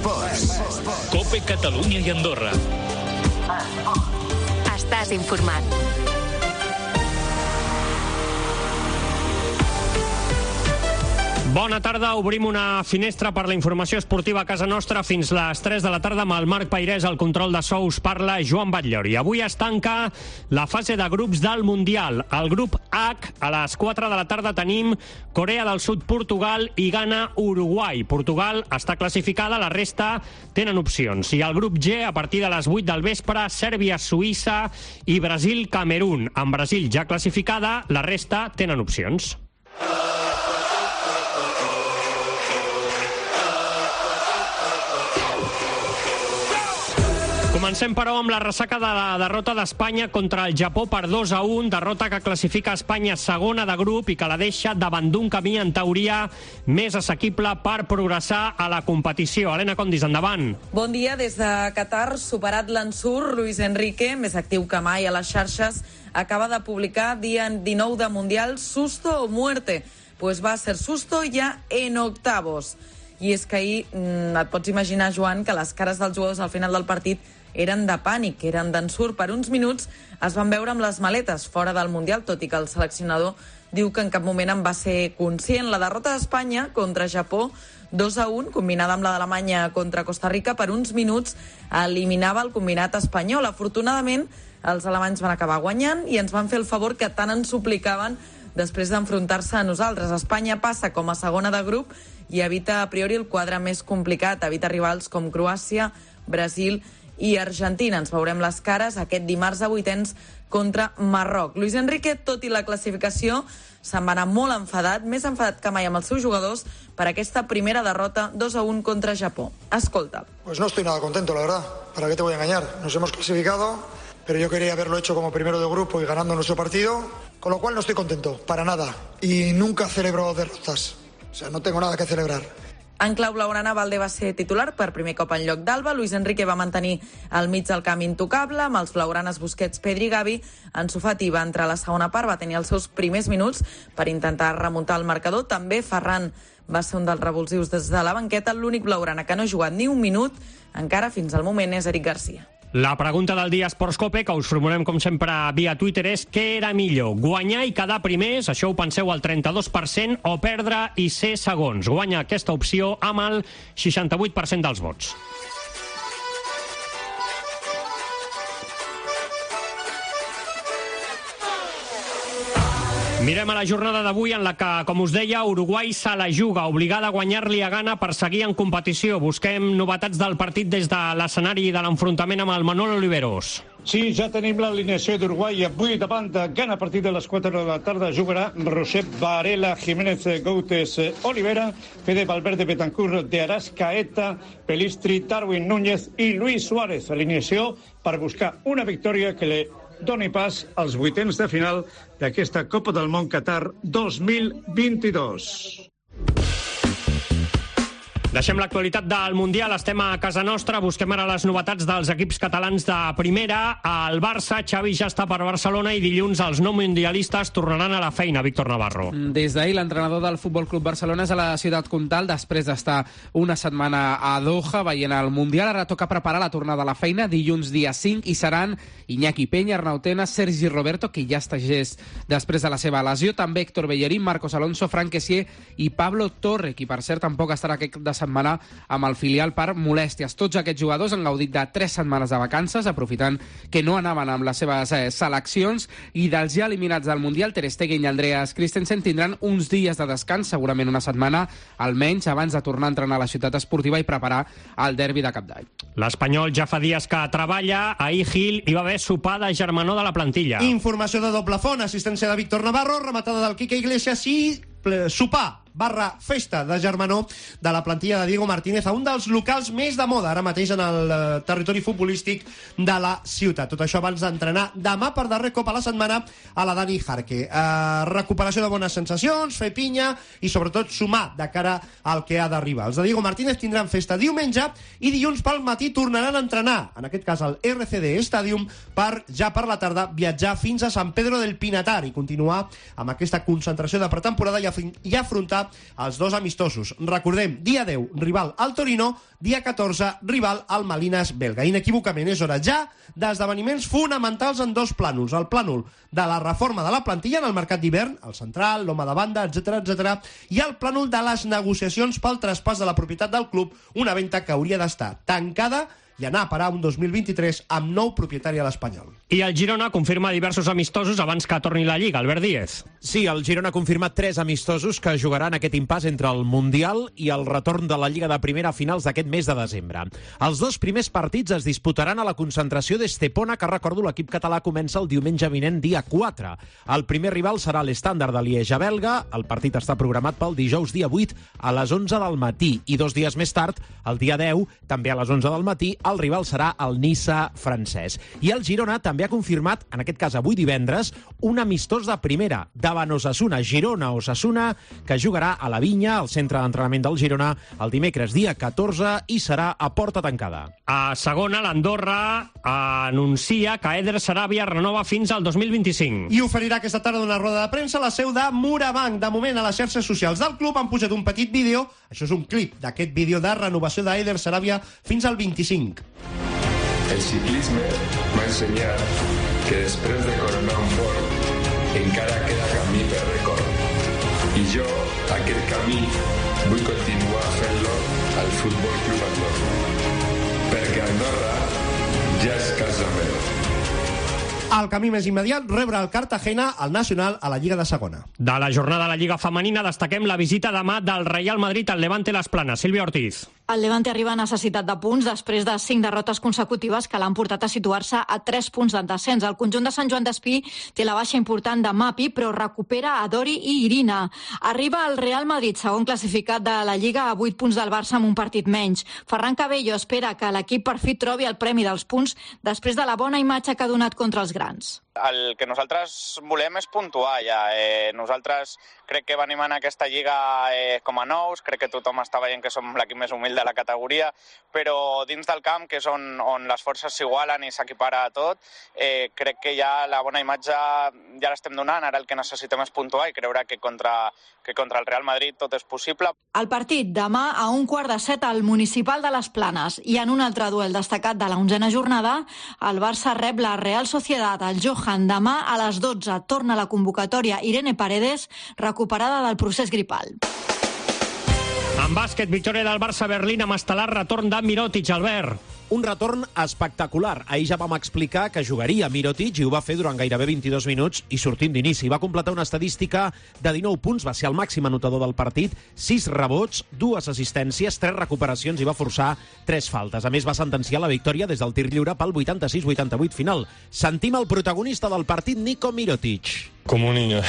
Esports. COPE Catalunya i Andorra. Estàs informat. Bona tarda, obrim una finestra per la informació esportiva a casa nostra fins les 3 de la tarda amb el Marc Pairès, al control de sous parla Joan Batllori. Avui es tanca la fase de grups del Mundial. Al grup H, a les 4 de la tarda tenim Corea del Sud, Portugal i Ghana, Uruguai. Portugal està classificada, la resta tenen opcions. I al grup G, a partir de les 8 del vespre, Sèrbia, Suïssa i Brasil, Camerún. Amb Brasil ja classificada, la resta tenen opcions. Comencem, però, amb la ressaca de la derrota d'Espanya contra el Japó per 2-1, derrota que classifica Espanya segona de grup i que la deixa davant d'un camí, en teoria, més assequible per progressar a la competició. Helena Condis, endavant. Bon dia. Des de Qatar, superat l'ensurt, Luis Enrique, més actiu que mai a les xarxes, acaba de publicar dia 19 de Mundial Susto o Muerte. Pues va a ser susto ya en octavos. I és que ahir et pots imaginar, Joan, que les cares dels jugadors al final del partit eren de pànic, eren d'ensurt. Per uns minuts es van veure amb les maletes fora del Mundial, tot i que el seleccionador diu que en cap moment en va ser conscient. La derrota d'Espanya contra Japó, 2-1, combinada amb la d'Alemanya contra Costa Rica, per uns minuts eliminava el combinat espanyol. Afortunadament, els alemanys van acabar guanyant i ens van fer el favor que tant ens suplicaven després d'enfrontar-se a nosaltres. Espanya passa com a segona de grup i evita a priori el quadre més complicat, evita rivals com Croàcia, Brasil i Argentina. Ens veurem les cares aquest dimarts a vuitens contra Marroc. Luis Enrique, tot i la classificació, se'n va anar molt enfadat, més enfadat que mai amb els seus jugadors per aquesta primera derrota 2-1 contra Japó. Escolta. Pues no estoy nada contento, la verdad. ¿Para qué te voy a engañar? Nos hemos clasificado, pero yo quería haberlo hecho como primero de grupo y ganando nuestro partido, con lo cual no estoy contento, para nada. Y nunca celebro derrotas. O sea, no tengo nada que celebrar. En clau blaugrana, Valde va ser titular per primer cop en lloc d'Alba. Luis Enrique va mantenir el mig del camp intocable, amb els blaugranes Busquets, Pedri i Gavi. Ansu Fati va entrar a la segona part, va tenir els seus primers minuts per intentar remuntar el marcador. També Ferran va ser un dels revulsius des de la banqueta. L'únic blaugrana que no ha jugat ni un minut, encara fins al moment, és Eric Garcia. La pregunta del dia Esports Cope, que us formulem com sempre via Twitter, és què era millor? Guanyar i quedar primers, això ho penseu al 32%, o perdre i ser segons? Guanya aquesta opció amb el 68% dels vots. Mirem a la jornada d'avui en la que, com us deia, Uruguai se la juga, obligada a guanyar-li a Ghana per seguir en competició. Busquem novetats del partit des de l'escenari de l'enfrontament amb el Manolo Oliveros. Sí, ja tenim l'alineació d'Uruguai. Avui davant de Ghana, a partir de les 4 de la tarda, jugarà Josep Varela, Jiménez Goutes, Olivera, Fede Valverde, Betancourt, De Arrascaeta, Pelistri, Darwin Núñez i Luis Suárez. Alineació per buscar una victòria que li doni pas als vuitens de final d'aquesta Copa del Món Qatar 2022. Deixem l'actualitat del Mundial, estem a casa nostra, busquem ara les novetats dels equips catalans de primera. El Barça, Xavi ja està per Barcelona i dilluns els no mundialistes tornaran a la feina, Víctor Navarro. Des d'ahir l'entrenador del Futbol Club Barcelona és a la Ciutat Comtal després d'estar una setmana a Doha veient el Mundial. Ara toca preparar la tornada a la feina dilluns dia 5 i seran Iñaki Peña, Arnau Tena, Sergi Roberto, que ja està gest després de la seva lesió, també Héctor Bellerín, Marcos Alonso, Frank Kessié i Pablo Torre, qui per cert tampoc estarà aquest de setmana amb el filial per molèsties. Tots aquests jugadors han gaudit de 3 setmanes de vacances, aprofitant que no anaven amb les seves seleccions, i dels ja eliminats del Mundial, Ter Stegen i Andreas Christensen tindran uns dies de descans, segurament una setmana almenys, abans de tornar a entrenar a la ciutat esportiva i preparar el derbi de Cap d'Any. L'Espanyol ja fa dies que treballa. Ahir Gil hi va haver sopar de germanor de la plantilla. Informació de doble font, assistència de Víctor Navarro, rematada del Quique Iglesias i sopar /festa de germanor de la plantilla de Diego Martínez a un dels locals més de moda ara mateix en el territori futbolístic de la ciutat. Tot això abans d'entrenar demà per darrer cop a la setmana a la Dani Jarque. Recuperació de bones sensacions, fer pinya i sobretot sumar de cara al que ha d'arribar. Els de Diego Martínez tindran festa diumenge i dilluns pel matí tornaran a entrenar, en aquest cas al RCD Stadium, per ja per la tarda viatjar fins a Sant Pedro del Pinatar i continuar amb aquesta concentració de pretemporada i afrontar jugar els 2 amistosos. Recordem, dia 10, rival al Torino, dia 14, rival al Malines belga. Inequívocament és hora ja d'esdeveniments fonamentals en 2 plànols. El plànol de la reforma de la plantilla en el mercat d'hivern, el central, l'home de banda, etc, i el plànol de les negociacions pel traspàs de la propietat del club, una venda que hauria d'estar tancada i anar a parar un 2023 amb nou propietari a l'Espanyol. I el Girona confirma diversos amistosos abans que torni la Lliga. Albert Díez. Sí, el Girona ha confirmat 3 amistosos que jugaran aquest impàs entre el Mundial i el retorn de la Lliga de Primera a finals d'aquest mes de desembre. Els 2 primers partits es disputaran a la concentració d'Estepona, que recordo l'equip català comença el diumenge vinent, dia 4. El primer rival serà l'Estàndard de Lieja belga. El partit està programat pel dijous dia 8 a les 11 del matí i 2 dies més tard, el dia 10, també a les 11 del matí, el rival serà el Niça francès. I el Girona també ha confirmat, en aquest cas avui divendres, un amistós de primera, davant Osasuna, Girona-Osasuna, que jugarà a la Vinya, al centre d'entrenament del Girona, el dimecres dia 14 i serà a porta tancada. A segona, l'Andorra anuncia que Eder Sarabia renova fins al 2025. I oferirà aquesta tarda una roda de premsa a la seu de Morabanc. De moment, a les xarxes socials del club han posat un petit vídeo, això és un clip d'aquest vídeo de renovació d'Eder Sarabia fins al 25. El ciclisme m'ha ensenyat que després de coronar un port encara queda camí per recórrer. I jo, aquest camí, vull continuar fent-lo al Futbol Club Andorra. Perquè Andorra ja és casa meva. El camí més immediat, rebre el Cartagena al Nacional a la Lliga de Segona. De la jornada de la Lliga Femenina destaquem la visita demà del Real Madrid al Levante Les Planes. Sílvia Ortiz. El Levante arriba a necessitat de punts després de 5 derrotes consecutives que l'han portat a situar-se a 3 punts del descens. El conjunt de Sant Joan d'Espí té la baixa important de Mapi, però recupera a Dori i Irina. Arriba el Real Madrid, segon classificat de la Lliga, a 8 punts del Barça amb un partit menys. Ferran Cabello espera que l'equip per fi trobi el premi dels punts després de la bona imatge que ha donat contra els grans. El que nosaltres volem és puntuar ja. Nosaltres crec que venim en aquesta lliga com a nous, crec que tothom està veient que som l'equip més humil de la categoria, però dins del camp, que és on les forces s'igualen i s'equipara a tot, crec que ja la bona imatge ja l'estem donant. Ara el que necessitem és puntuar i creure que contra el Real Madrid tot és possible. El partit demà a 6:15 al Municipal de les Planes, i en un altre duel destacat de la 11a jornada, el Barça rep la Real Sociedad. El Johan demà a les 12 torna a la convocatòria Irene Paredes, recuperada del procés gripal. En bàsquet, victòria del Barça a Berlín amb estel·lar retorn de Mirotic, Albert. Un retorn espectacular. Ahir ja vam explicar que jugaria Mirotic i ho va fer durant gairebé 22 minuts i sortint d'inici. Va completar una estadística de 19 punts, va ser el màxim anotador del partit, 6 rebots, 2 assistències, 3 recuperacions i va forçar 3 faltes. A més, va sentenciar la victòria des del tir lliure pel 86-88 final. Sentim el protagonista del partit, Nico Mirotic. Como un niño,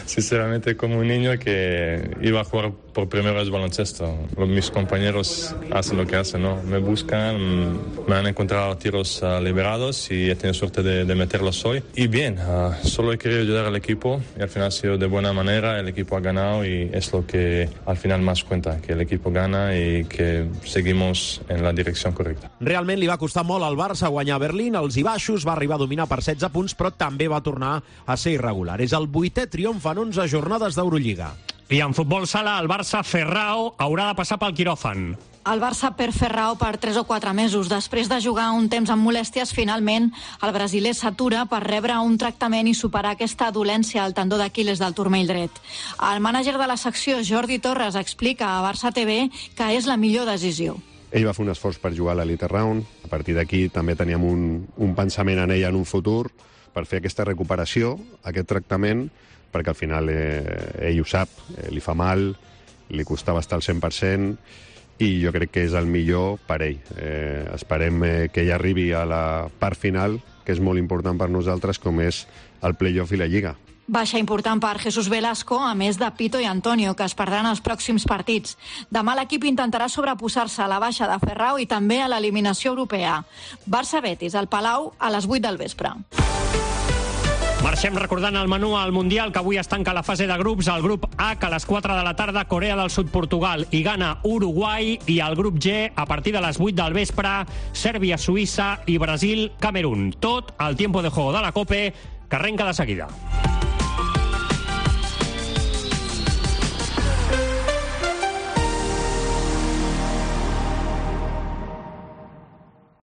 sinceramente como un niño que iba a jugar por primera vez baloncesto. Mis compañeros hacen lo que hacen, ¿no? Me buscan, me han encontrado tiros liberados y he tenido suerte de meterlos hoy. Y bien, solo he querido ayudar al equipo y al final ha sido de buena manera, el equipo ha ganado y es lo que al final más cuenta, que el equipo gana y que seguimos en la dirección correcta. Realment li va costar molt al Barça guanyar a Berlín, els i baixos, va arribar a dominar per 16 punts, però també va tornar a ser irregular. És el 8è triomf en 11 jornades d'Eurolliga. I en futbol sala, el Barça Ferrao haurà de passar pel quiròfan. El Barça perd Ferrao per 3 o 4 mesos. Després de jugar un temps amb molèsties, finalment el brasiler s'atura per rebre un tractament i superar aquesta dolència al tendó d'Aquil·les del turmell dret. El mànager de la secció, Jordi Torres, explica a Barça TV que és la millor decisió. Ell va fer un esforç per jugar a l'Elite Round. A partir d'aquí també teníem un pensament en ell en un futur per fer aquesta recuperació, aquest tractament, perquè al final ell ho sap, li fa mal, li costava estar al 100%, i jo crec que és el millor per ell. Esperem que ell arribi a la part final, que és molt important per nosaltres, com és el play-off i la Lliga. Baixa important per Jesús Velasco, a més de Pito i Antonio, que es perdran els pròxims partits. Demà l'equip intentarà sobreposar-se a la baixa de Ferrao i també a l'eliminació europea. Barça-Betis, al Palau, a les 8 del vespre. Marxem recordant el menú al Mundial, que avui es tanca la fase de grups. El grup H, a les 4 de la tarda, Corea del Sud, Portugal i Ghana, Uruguai. I el grup G, a partir de les 8 del vespre, Sèrbia, Suïssa i Brasil, Camerún. Tot al tiempo de juego de la COPE, que arrenca de seguida.